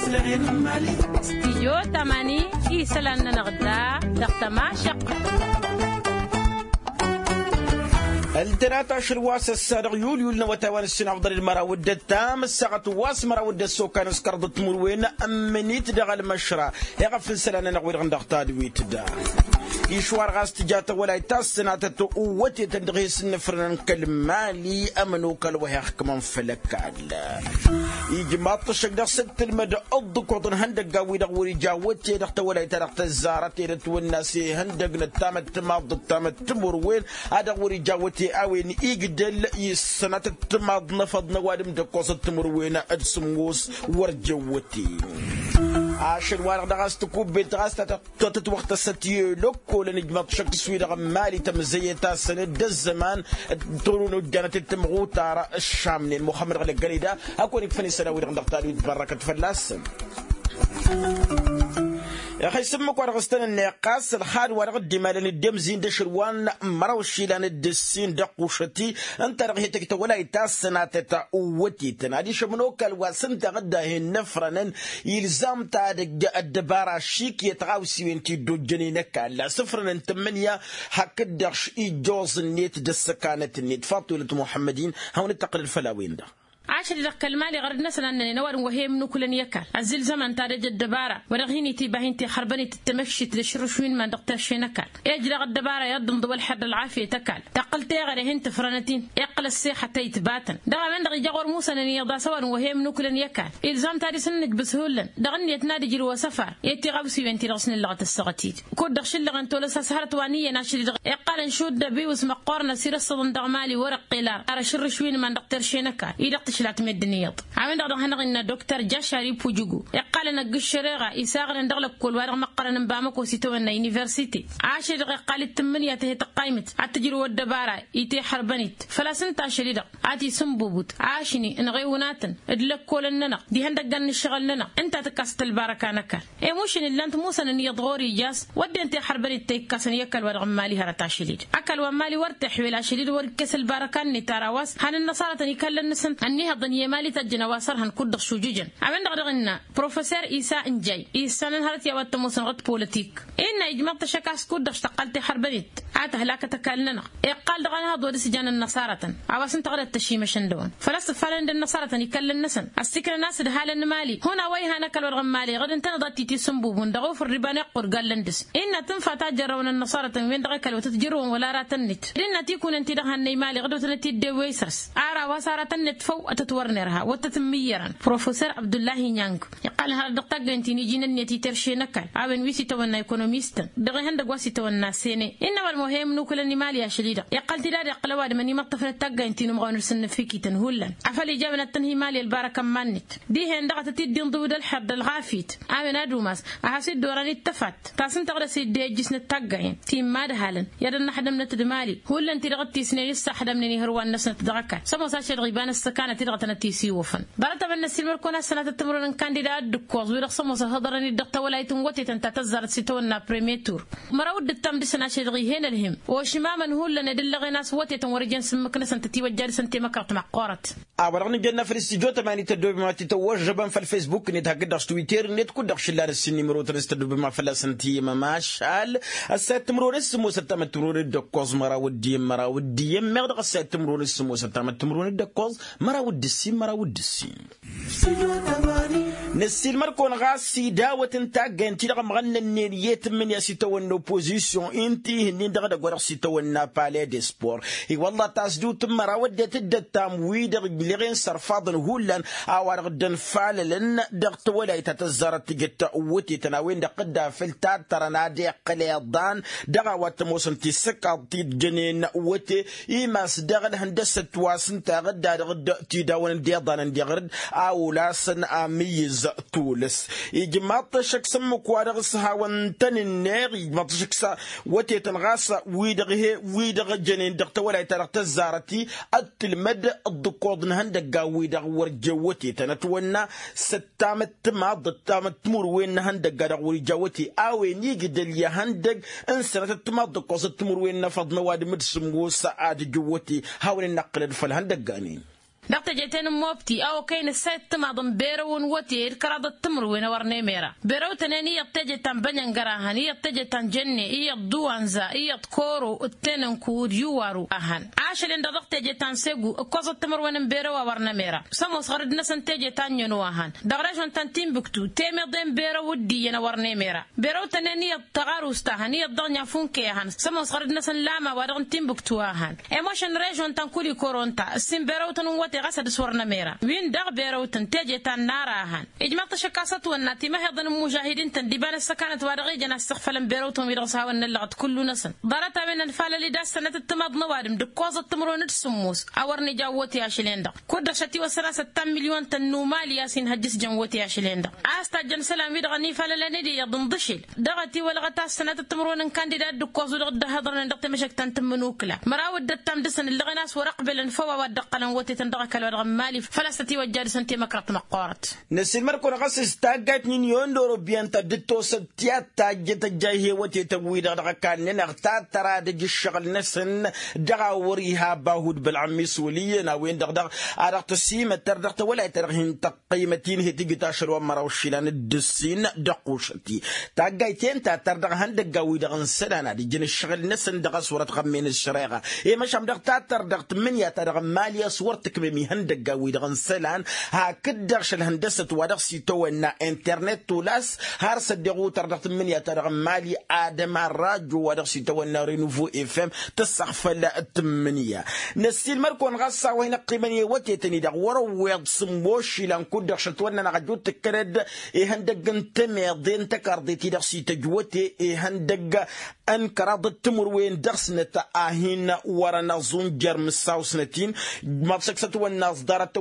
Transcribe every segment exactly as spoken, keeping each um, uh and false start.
Stijyo tamani isălan-nănăɣ da dăɣ-tămašăqq. Ăltănat ašăl wa s-ăssadăɣ yulyul n-awătay wa n-ǝssin afḍăl d-măraw d-ăttam ăssaɣăt wa s-măraw d-ăssokkan s-kăraḍăt timǝrwen ămmǝnit dăɣ-ălmăšra. Iɣăf n-isălan-nănăɣ wi-dăɣ n-dăɣ tadwit da išwar ɣas tǝja tawălayt ta s-sănatăt uwwătetăn dăɣ-hi s-ǝnnǝfrănăn kăl-mali ămănokal wa hi-ăxkǝmăn făll-ăkall. Ijmaḍ-t ăššăk dăɣ-s dd-tǝlmăd ǝḍḍǝkoḍ n-ihăndăggan-wi-dăɣ wăr-ija awăte dăɣ-tawălayt-ta-dăɣ tăzzarăt ed ătwănna s-ihăndăgg n-ăttamăttămaḍt d-ăttamăttămurwen a dăɣ-wăr-ija awăte a-wen igdăl i-sănatăt timaḍ n-efăḍ n-ăwadǝm d-ǝkkoẓăt timǝrwen d-sǝmmos wăr j-ăwwăte. Ašăl-wa-dăɣ dăɣ-a-s tǝkubbelt ɣas ta tătwăɣtăsăt i-lăkkol ănijmăḍ šăkk s-wi-dăɣ n-mali tămzăyăt-asăn d-ăzzăman. Tăruno ǝjjanăt d-tǝmɣutar ăššamnen muxămmăd ɣlăggănida. Hak wăr-ikfăn isălan-wi-dăɣ n-dăɣ tadwit bărrăkăt fălla-săn. Ixăy s-ǝmmǝk wa dăɣ-s tăn-ǝnneɣ ɣas ălxad wa dăɣ-dd-imalăn dd-emzin d-ašăl wa n-măraw išilan d-ǝssin d-ăqqušăti. Ǝnta-dăɣ hi-tăj tawălayt ta s-sănatăt uwwătetăn adiš ămănokal wa s-ǝnta ɣǝdda hin-nǝfrănăn. Ilzam-t ad-ăddăbara ašik i-tiɣawsiwen ti dd-ojjănen ăkall a-s ǝfrănăn tǝmmǝnǝya. Hakd-dăɣ š-ijjoẓ-net d-ăssăkanăt-net faṭṭulăt muḥămmăd-in hawăn-dd-tăqqǝlăd făll-a-wen-dăɣ. Ašăl-i-dăɣ kăl-mali ɣărăd-năsăn a ǝnnănen ăwadǝm wa he-ămnukǝlăn i-ăkall ăzzilzămăn-t ad-ăj ăddăbara wa dăɣ-hin-itiba hin-tixărbăn-it d-tamăkšit d-ašǝrrǝšwin iman-dăɣ terše n-ăkall. Ejăreɣ ăddăbara i-ad-dd-ǝnḍǝw ălḥer d-ălɣafyăt ăkall tăqqǝl teɣăre hin-tǝfrănăt-in. Iqqăl ăssexăt a itbatăn dăɣ-a-wen-dăɣ ija ɣur-musănăn iyyăḍ a-s ăwadǝm wa he-ămnukǝlăn i-ăkall. Ilzam-t ad-isǝnnǝjbǝs hullan dăɣ-ǝnniyăt n-ad-ǝjrǝw asăfar i-tiɣawsiwen-ti-dăɣ s-nǝllăɣăt ăssaɣăt-dd. Kud-dăɣ šǝllăɣăn tolăs a-s hărăt wa n-iyyăn ašăl-i-dăɣ iqqălăn šudd ăbiwǝs măqqoorăn ăsirăssăḍăn dăɣ-mali wăr-ăqqel ar ar ašǝrrǝšwin iman-dăɣ terše n-ăkall-i-dăɣ tǝšlat meddǝn iyyăḍ. A-wen-dăɣ dăɣ-hanăɣ-innă doktor jašar ipujugu iqqălăn ăgg-ǝššăreɣa isaɣnen dăɣ-lăkkol wa dăɣ-măqqărăn n-bamăko s-itawănna universite. Ašăl-i-dăɣ iqqal-dd tǝmmǝnǝya tăhe tăqqaymǝt ad-tǝjrǝw ăddăbara i-tihărbăn-dd făl-a-s ǝnta ašăl-i-dăɣ a t-isǝnbubǝt ašni ănɣewǝnatăn d-lăkkolăn-nănăɣ d-ihăndăggan n-ǝššăɣǝl-nănăɣ. Ǝnta a tǝkkasăt ălbarăka n-ăkall. I-mušǝn ǝllan-t musănăn iyyăḍ ɣur-ija a-s wădden tihărbăn-dd ta ikkasăn i-ăkall wa dăɣ-n mali hărăt ašăl-i-dd ăkall wa n-mali wăr t-iḥwel ašăl-i-dd wăr-ikkes ălbarăka-net ar a-wa s-han ǝnnăṣarătăn ikallăn-năsăn ănniihăḍăn i-emali tajjăn a-wa s-ărhăn kud-dăɣ šujǝjăn. A-wen-dăɣ dăɣ-innă professor isa ǝnjay issanăn hărăt i-a-wa t-ămoosăn ɣǝd politik. Innă ijmăḍ-t ăššăk a-s kud-dăɣ s-tăqqal tihărbănet a tăhlakăt ăkall-nănăɣ. Iqqal dăɣ-anhăḍ wăr-s jan ănnăṣarătăn a-wa s-ǝnta ɣǝdăt tăšimăšăn dăɣ-wăn făl-a-s ǝffalăn d-ănnăṣarătăn ikallăn-năsăn. Ăssiknăn a-s ǝdhalăn n-imali hun a-wa ihan ăkall wa dăɣ-n mali ɣǝd ǝntăneḍ ad-t-tisǝnbubun dăɣ-ufǝr d-iba n-iqqur gallăn dăɣ-s. Innă tǝnfa ta jărrăwăn ănnăṣarătăn-wen-dăɣ ăkall wa tăt-jărrăwăn wăla aratăn-net d-innă tikunen-ti-dăɣ hannăy mali ɣǝd wa tănăt-dd-ewwey săr-s. Ar a-wa s-aratăn-net făw ad-tăt-wăr-nerha wăr tăt-ǝmmǝyyărăn professor abdullahi nyang. Iqqălăn hărăt dăɣ-taggăyăn ti n-iji n-ǝnniyăt i-terše n-ăkall a-wen wi s-itawănna ekonomistăn dăɣ-ihăndăgg wa s-itawănna sene. Innă ăwadǝm wa he-imnukǝlăn imali ašăl-i-dăɣ iqqăl-t-dd ad-iqqǝl ăwadǝm ănimăṭṭăfnăt taggayăn ti n-umɣawăn ǝrsǝnnǝfikităn hullan afăl ija a-wen ad-tǝnha imali ălbarăka n-iman-net. Dihen-dăɣ a tăt-dd-inḍǝw d-ălḥer d-ălɣafyăt a-wen ad-umas a has-dd-oran ittăfat ta s-ǝnta ɣǝd a-s dd-ejjǝsnăt taggayăn ti n-imadhalăn i-ad-ănnăxdămnăt d-imali. Hullan-ti-dăɣ d-tisnen issaxdămnen ihǝrwan-năsnăt dăɣ-ăkall s-ămoos ašăl-i-dăɣ iba n-ăssăkanăt-i-dăɣ a tănăt-isiwăfăn. Ḍarăt-ămăn n-ăssiilmăr-kăwăn a-s sănatăt timǝrwen n-kandida ad-dd-ǝkkoẓ wi-dăɣ s-ămoos ăhhăḍărăn-dd dăɣ-tawălayt n-wătetăn ta tăzzarăt s-itawănna premitur. Măraw d-ǝttam dăɣ-săn ašăl-i-dăɣ ih'-en ălhim ošmamăn hullan ed ǝllăɣen a-s wătetăn wăr-ǝjăn s-ǝmmǝk-năsăn tătiwăjja dăɣ-săn temăkrăt măqqoorăt. A-wa-dăɣ nǝjănna făll-s tijot ămanit ăddoobem ad-t-tăwwăžžăbăn făll-fesbuk-net hakd-dăɣ s-twitter-net kud-dăɣ šǝllan ǝssin n-imrotăn s-tăddoobem a fălla-săn tǝyyăm ămašal. Ăssayăt timǝrwen s-sǝmmosăt tamăttǝmrwen d-ǝkkoẓ măraw d-iyyăn măraw d-iyyăn meɣ dăɣ-ăssayăt timǝrwen s-sǝmmosăt tamăttǝmrwen d-ǝkkoẓ măraw d-ǝssin măraw d-ǝssin. Năssiilmăr-kăwăn ɣas idawăt n-taggayăn-ti-dăɣ ămɣănnănnen i-tǝmmǝnǝya s-itawănna opozisyon-i n-tihǝnnin dăɣ-edăgg wa dăɣ-s itawănna pale de spor. I-wălla tasdǝwt n-măraw ăddinăt dd-ăttam wi-dăɣ ǝjleɣen s-ărfaḍăn hullan a-wa-dăɣ dd-ănfalălăn dăɣ-tawălayt ta tăzzarăt tǝjăt wătetăn a-wen-dăɣ dd-afǝl tattărăn ad-iqqǝl iḍan dăɣ-a-wa t-ămoosăn tisǝkkaḍt ti dd-jănen wăte. Imas dăɣ-ălhăndăsăt wa s-ǝnta ɣǝdda dăɣ-dd-tidawăn d-iḍanăn diɣrǝd a olasăn amǝyyǝz tulǝs. Ijmaḍ-t ăššăk s-ǝmmǝk wa dăɣ-s hawăn-tăn-ǝnneɣ ijmaḍ-t ăššăk s-wătetăn ɣas wi-dăɣ he-wi-dăɣ jănen dăɣ-tawălayt-ta-dăɣ tăzzarăt-i ad-tǝlmăd ǝḍḍǝkkoḍ n-ihăndăggan-wi-dăɣ wăr jen wătetăn ătwănna s-ăttamăt timaḍ d-ăttamăt timǝrwen n-ihăndăgga dăɣ-wăr ija wăte a-wen igdăl i-ihăndăgg n-sănătăt timaḍ d-ǝkkoẓăt timǝrwen n-efăḍ n-ăwadǝm d-sǝmmos ad-ǝjǝw wăte. Hawăn-in-năqqǝlăd făll-ihăndăggan-in. Dăɣ-teje-ten n-mobti a okăyăn ǝssa i-ăttămaḍ n-berăw n-wăte d-kăraḍăt timǝrwen a wăr nemera. Berăw-tăn-en iyyăḍ teje ta n-bănăngăr a hăn iyyăḍ teje ta n-jănne iyyăḍ duwanza iyyăḍ koro d-tenănku d-iwaru a hăn. Ašăl-en-dăɣ dăɣ-teje ta n-segu ǝkkoẓăt timǝrwen n-berăw a wăr nemera. Sămoos ɣărăd-năsăn teje ta n-ănnăno a hăn dăɣ-režon ta n-tinbǝktu temeḍe n-berăw d-iyyăn a wăr nemera. Berăw-tăn-en iyyăḍ tăɣarust a hăn iyyăḍ dăɣ-nyafunke a hăn sămoos ɣărăd-năsăn lama wa dăɣ-n tinbǝktu a hăn. Emošăn režon ta n-kulikoro ǝnta ǝssin berăw-tăn n-wăte ɣas ad-dăɣ-s wăr nămera. Win-dăɣ berăw-tăn teje ta n-nara a hăn ijmaḍ-t ašăk a-s ătwănna timăheḍăn n-imužahidin-tăn d-iba n-ăssăkanăt wa dăɣ-ijăn a ǝssăɣfălăn berăw-tăn wi-dăɣ s-hawăn-năllăɣăt kullu-năsăn. Ḍarăt-a-wen ănfalăl-dd a-s sănăt ǝttămaḍ n-ăwadǝm d-ǝkkoẓăt timǝrwen d-sǝmmos a wăr n-ija n-wăte ašăl-en-dăɣ. Kud-dăɣ šătiwăssăn a-s ăttan milyon-tăn n-umali a-s inhăjj s-jăn wăte ašăl-en-dăɣ a-s tajjăn isălan-wi-dăɣ ănifalălăn-dd iyyăḍ ǝnḍǝšel. Dăɣ-ătiwălɣăt a-s sănatăt timǝrwen n-kandida dd-ǝkkoẓu dăɣ-dd-ăhhăḍărnen dăɣ-temăšăkt ta n-tǝmmǝnukǝla măraw dd-ăttam dăɣ-săn ǝllăɣen a-s wăr-ăqbălăn făw a-wa dd-ăqqălăn wătetăn dăɣ-ăkall wa dăɣ-n mali. Făl-a-s tătiwăjja dăɣ-săn temăkrăḍt măqqoorăt. Năssiilmăd-kăwăn ɣas s-taggayt n-inyon d-orobiyăn ta dd-tosăt tiyyăt tajjăt ăjjayhe wătetăn-wi-dăɣ dăɣ-ăkall-nănăɣ ta tăradăj ǝššăɣǝl-năsăn. Dăɣ-a wăr-iha bahud bălɣămmis wăl' iyyăn a-wen-dăɣ dăɣ-a dăɣ-tăsimăttăr dăɣ-tawălayt ta dăɣ-hin-tăqqăymăt-in he-tǝjǝt ašăl wa n-măraw išilan d-ǝssin dăɣ-kušăt-i. Taggayt-en ta tărdăɣ ihăndăggan-wi-dăɣ n-isălan ad-ǝjǝn ǝššăɣǝl-năsăn dăɣ-a-s wăr-ătɣămmen ăššăreɣa. I-măšan dăɣ-ta tărdăɣ tǝmmǝnǝya ta dăɣ-n mali a-s wăr tǝkmem ihăndăggan-wi-dăɣ n-isălan. Hakd-dăɣ šăl hăndăsăt wa dăɣ-s itawănna internet tolass har s-ăddeɣ utăr dăɣ-tǝmmǝnǝya ta dăɣ-n mali. Adăma rajo wa dăɣ-s itawănna renuvo fm tǝssăɣfăl tǝmmǝnǝya. Năssiilmăd-kăwăn ɣas s-a-wa hin-ăqqimăn i-wătetăn-i-dăɣ wăr-ăwweḍ sǝmmos išilan kud-dăɣ šătwănna n-aɣăjju tǝkkălăd ihăndăgg n-temeḍe n-tăkarḍe ti-dăɣ s-ităjj wăte ihăndăgg n-kăraḍăt timǝrwen dăɣ-snăt a hin-wărăn ăẓunjăr mǝssaw-snăt-in. Măḍšăk s-ătwănna ăẓḍarăt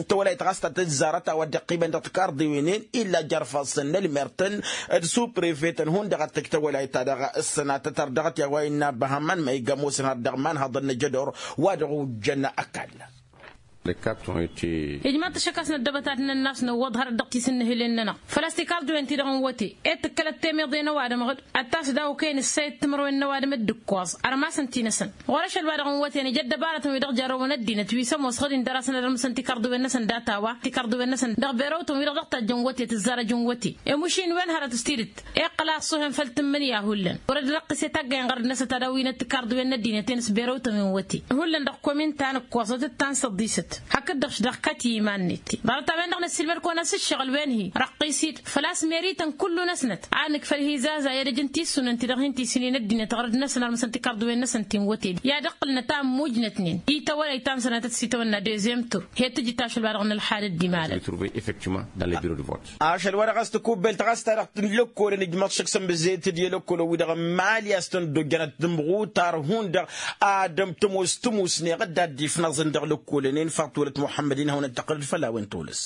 tawălayt ɣas ta tǝzzarăt a-wa dd-iqqimăn dăɣ-tikarḍewen-en illa jer-ifassăn n-ălmer-tăn d-suprefetăn hundăɣ ad-tăj tawălayt-ta-dăɣ s-sănatăt ărdăɣăt i-a-wa innă băhămăn ma iga ămoosăn har dăɣ-imanhăḍăn n-ajădor wa dăɣ-ojjăn ăkall. Ijmaḍ-t ăššăk a-s năddăbăt ad-nănn a-s năwwăḍ hărăt dăɣ-tisǝnnǝhǝlen-nănăɣ făl-a-s tikarḍewen-ti-dăɣ n-wăte ed tǝkkălăt temeḍe n-ăwadǝm ɣǝd ad-t-as daw-okăyăn ǝssayăt timǝrwen n-ăwadǝm d-ǝkkoẓ ărmasăn-t-i-năsăn. Ɣur-ašăl wa dăɣ-n wăten ija ăddăbarătăn wi dăɣ-jarrăwăn ăddinăt wi s-ămoos ɣǝd-in dăr-asăn ad-ărmǝsăn tikarḍewen-năsăn data-wa tikarḍewen-năsăn dăɣ-berăwtăn wi-dăɣ dăɣ-tajjăn wăte tǝzzarăjăn wăte. Emušin wen hărăt s-tidǝt iqqăl a ăṣṣuhen făll-tǝmmǝnǝya hullan wăr-ădd răqqǝset aggayen ɣărăd-năsăt ad-ăwwinăt tikarḍewen n-ăddinăt-en s-berăwtăn wen wăte. Hullan dăɣ-komin ta n-ǝkkoẓăt d-ta n-săḍisăt hakd-dăɣ-š dăɣ-kătiman-net. Ḍarăt-a-wen-dăɣ năssiilmăd-kăwăn-as ǝššăɣǝl-wen-hi răqqis-dd făl-a-s merităn kullu-năsnăt a nǝkfăl hi-zaza i-ad-ăj n-tissunăn ti-dăɣ hin-tisǝnnin ăddinăt ɣărăd-năsăn ărmǝsăn tikarḍuwen-năsăn ti n-wăte i-ad-ăqqǝlnăt a ămmujnătnen i-tawălayt ta n-sănatăt s-itawănna dezem tur. He-tǝjǝt ašăl wa dăɣ-nǝlxad ăddimalăn. Ašăl wa dăɣ-s tikubbelt ɣas ta dăɣ-t n-lăkkolăn ijmăḍ šăk sămbăzet-dd i-lăkkolăn-wi-dăɣ n-mali a-s tăn-dd-ojjănăt tǝmɣutar hundăɣ. Ad-ămtămos tǝmusneɣ dd-ad-dd-ifnaẓăn dăɣ-lăkkolăn-en faḍt wălăt muḥămmăd-in hawăn-dd-tăqqǝlăd făll-a-wen tolăs.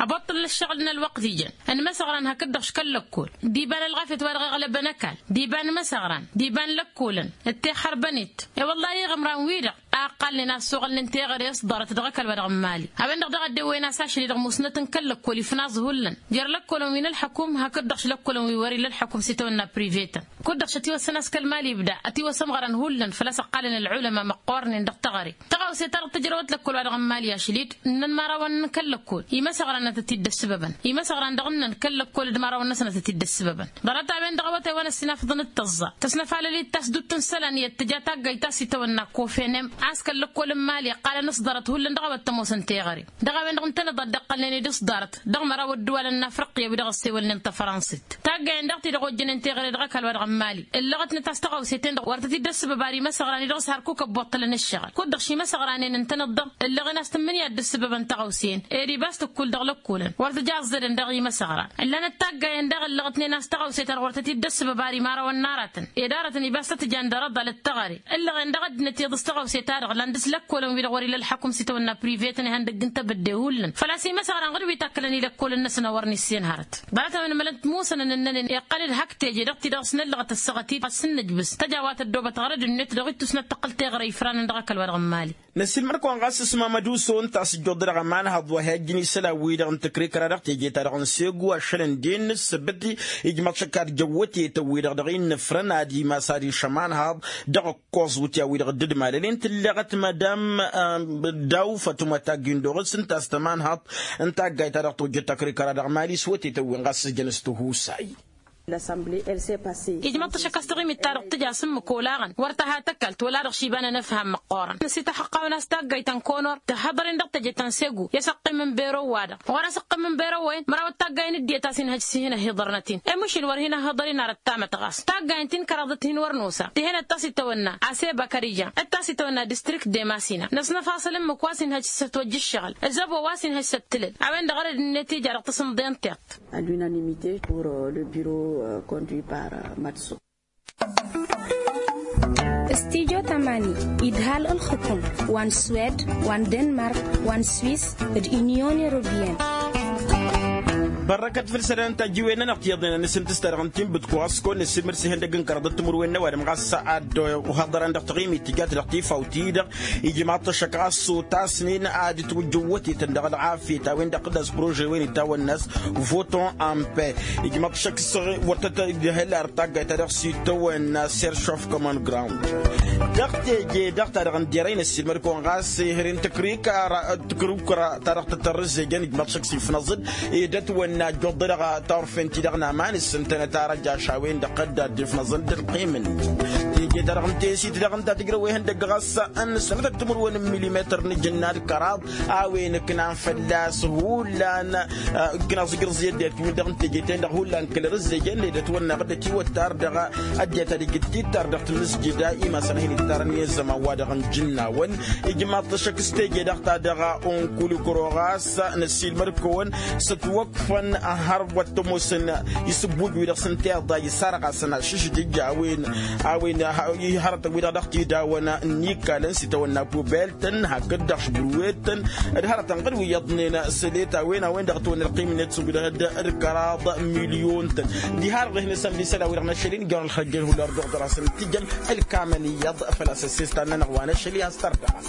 Ăboṭṭăl n-ǝššăɣǝl n-ălwăqq d-ijăn ănmăsăɣran hakd-dăɣ š-kăl-lăkkol d-iba n-ălɣafyăt wa dăɣ-iɣlăbăn ăkall d-iba n-imăsăɣran d-iba n-lăkkolăn d-teḥărbănet. I-wăllah iɣǝmran-wi-dăɣ a ǝqqalnen a ăssoɣălnen teɣăre s-ḍarăt dăɣ-ăkall wa dăɣ-n mali. A-wen-dăɣ daɣ ăddewăyăn a-s ašăl-i-dăɣ musnăt n-kăl-lăkkol ifnaẓ hullan jer-lăkkolăn wi n-ălḥăkum hakd-dăɣ š-lăkkolăn wi wăr-ila ălḥăkum s-itawănna privetăn. Kud-dăɣ šătiwăssăn a-s kăl-mali ibda ătiwăsămɣărăn hullan făl-a-s ăqqalăn ălɣulăma măqqoornen dăɣ-teɣăre. Tăɣawse-ta-dăɣ tǝjrăwăt lăkkol wa dăɣ-n mali ašăl-dd ǝnnăn imărawăn n-kăl-lăkkol imăsăɣran ad-tăt-dd-ăssǝbăbăn. Imăsăɣran dăɣ-ǝnnăn kăl-lăkkol d-imărawăn-năsăn ad-tăt-dd-ăssǝbăbăn. Ḍarăt-a-wen-dăɣ a-wa tewăn ăssinafăḍăn d-tăẓẓa tăsnăfalăl-dd tasdut n-isălan i-ăttǝja taggayt ta s-itawănna kofenem a-s kăl-lăkkol n-mali ǝqqalăn s-ḍarăt hullan dăɣ-a-wa t-ămoosăn teɣăre. Dăɣ-a-wen-dăɣ ǝntăneḍ ad-dd-iqqălnen d-s-ḍarăt dăɣ-măraw ădduwalăn n-afriqya wi-dăɣ ăssewălnen tafrănsit. Taggayen daɣ ti-dăɣ ojjănen teɣăre dăɣ-ăkall wa dăɣ-n mali ǝllăɣătnăt a-s tăɣawse-ten-dăɣ wăr tăt-dd-ăssǝbăb ar imăsăɣran-i-dăɣ s-hărkuk ăbboṭṭălăn ǝššăɣǝl. Kud-dăɣ šimăsăɣranen ǝntăneḍ-dăɣ ǝllăɣen a-s tǝmmǝnǝya dd-ǝssǝbăbăn tăɣawse-en. Ed ibas tǝkkul dăɣ-lăkkolăn wăr tǝja ăẓẓădăn dăɣ-imăsăɣran. Ǝllanăt taggayen daɣ ǝllăɣătnen a-s tăɣawse-ta-dăɣ wăr tăt-dd-ăssǝbăb ar imarăwăn n-aratăn ed aratăn ibas tăt-jan dăr-ăḍal d-teɣăre. Ǝllăɣen daɣ ăddinăt iyyăḍ s-tăɣawse-ta-dăɣ lan dăɣ-s lăkkolăn-wi-dăɣ wăr-ila ălḥăkum s-itawănna privetăn ihăndăgg n-tebădde hullan făl-a-s imăsăɣran ɣǝd wi takkălăn i-lăkkolăn-năsăn a wăr nissen hărăt. Ḍarăt-a-wen mălănt musăn ănǝnnănen iqqăl-dd hak teje dăɣ-ti-dăɣ s-năllăɣăt ăssaɣăt-dd ăssǝnnăjbǝs tăj a-wa tăddoobăt ɣărăd-net dăɣ-ittus n-ad-tăqqǝl teɣăre ifranăn dăɣ-ăkall wa dăɣ-n mali. Năsiilmăd-kăwăn ɣas s-mamăd uso ǝnta a-s ǝjjuḍ-dăɣ ămanhăḍ wa hi-ăjjǝn isălan-wi-dăɣ n-tǝkrikăra dăɣ-teje-ta-dăɣ n-segu ašăl ǝnden n-ǝssǝbǝt. Ijmăḍ šăkk ad-jăwwătetăn-wi-dăɣ dăɣ-innă ǝfrăn ad-imas ad-išămanhăḍ dăɣ-ǝkkoẓ wǝtya-wi-dăɣ dd-malălen. Illeɣăt madam daw fătmăt agg-indoɣ s-ǝnta a-s tămanhaḍt n-taggayt-ta-dăɣ tojjăt takrikăra dăɣ-mali s-wătetăn-wen ɣas s-ǝjăn s-tihusay. Ijmăḍ-t ăššăk a-s taɣimit-ta-dăɣ tǝja s-ǝmmǝk olaɣăn wăr tăha tăkalt wăla-dăɣ šiba n-enăfham măqqoorăn năsităxăqqawăn a-s taggayt ta n-konor tǝhhăḍăr-in dăɣ-teje ta n-segu i-asăqqim n-bero wa-dăɣ ɣur-asăqqim n-bero-wen mărawăt taggayen dd-iyyăt a-s inhăj s-hin-ăhiḍărnăt-in i-măšin wăr hin-ăhiḍăr-in arăt tamătɣast taggayen ti n-kăraḍăt hin-wăr nosa ti hen-ăttas itawănna aseba kărijan ăttas itawănna distrikt de masina năsnăfasăl ǝmmǝk wa s-inhăj s-ătwăjja ǝššăɣǝl ăzzăbo wa s-inhăj s-ăttǝlăl a-wen-dăɣ ărăd-net ija dăɣ-tasǝmḍe n-tiṭṭ. À l'unanimité pour le bureau conduit par matso. Studyo tamani idhal ǝlxǝkum wa n-swed wa n-denmark wa n-swis d-unyon europeyăn. Bărrăkăt făll-isălan tajǝwen-nănăɣ tiyyăḍnen ănn s-ǝntǝs ta dăɣ-n tinbǝt kuɣas kăwăn-năssiilmăd s-ihăndăgg n-kăraḍăt timǝrwen n-ăwadǝm ɣas a dd-ohaḍăran dăɣ-taɣimit tǝjat dăɣ-tifawt-i-dăɣ ijmaḍ-t ăššăk ɣas s-otasnen ad-ǝtwǝjjǝw wătetăn dăɣ-ălɣafyăt a-wen-dăɣ d-as prože-wen itawănna a-s voton en paix. Ijmaḍ-t ăššăk s-wăr tăt-dd-ihăl ar taggayt-ta-dăɣ s-itawănna seršof common ground. Dăɣ-teje-dăɣ ta dăɣ-n derăy n-ăssiilmăd-kăwăn ɣas ihăr-in tǝkrǝy kăra tǝkrǝy kăra ta dăɣ-tăt-ărrǝzzejăn ijmaḍ-t ăššăk s-ifnăẓ-dd ed ătwănna ăjjoḍ-dăɣ ta orfen-ti-dăɣ n-aman s-ǝntănăt arăj ašawen-dăɣ dd-ad-dd-ifnăẓăn d-ălqim-nănăɣ. Teje-ta-dăɣ n-tesit dăɣ-ǝnta tǝjrăw ihăndăgg ɣas ănnăsnătăt timǝrwen n-milimetăr n-ajǝnna d-kăraḍ a-wen ǝknan fălla-s hullan. Ǝknan s-ǝjrǝẓ i-ăddinăt wi-dăɣ n-teje-ten-dăɣ hullan kăl-ărǝzzejăn ed ătwănna ɣǝddăt iwăttar dăɣ-ăddinăt ad-ijǝttittar dăɣ-tamǝsjǝda imasăn a hin-ittarăn i-ăzzăman-wa-dăɣ n-ijǝnnawăn. Ijmaḍ-t ăššăk s-teje-dăɣ ta dăɣ-unkulukro ɣas năssiilmăd-kăwăn s-ătwăkfăn hărwăt tămoosăn isǝbbuj-wi-dăɣ s-ǝnta iḍa isarɣasăn ašǝšdǝj a-wen a-wen ihărătăn-wi-dăɣ dăɣ-tidawăn n-ikalăn s-itawănna pubel-tăn hakd-dăɣ šbǝrwet-tăn d-hărătăn ɣǝd wi iyyăḍnen s-elet a-wen a-wen-dăɣ ătwănna ălqim-net s-ugdăhăd d-kăraḍ milyon-tăn. Diha-dăɣ dăɣ-hin-ăsămli isălan-wi-dăɣ n-ašăl-in ijrăn ălxăjjăn hullan dăɣ-dăr-asăn tǝjăn ălkamăn iyyăḍ făl-a-s ăssestan-nănăɣ wa n-ašăl i-ad-s tărdăɣăt.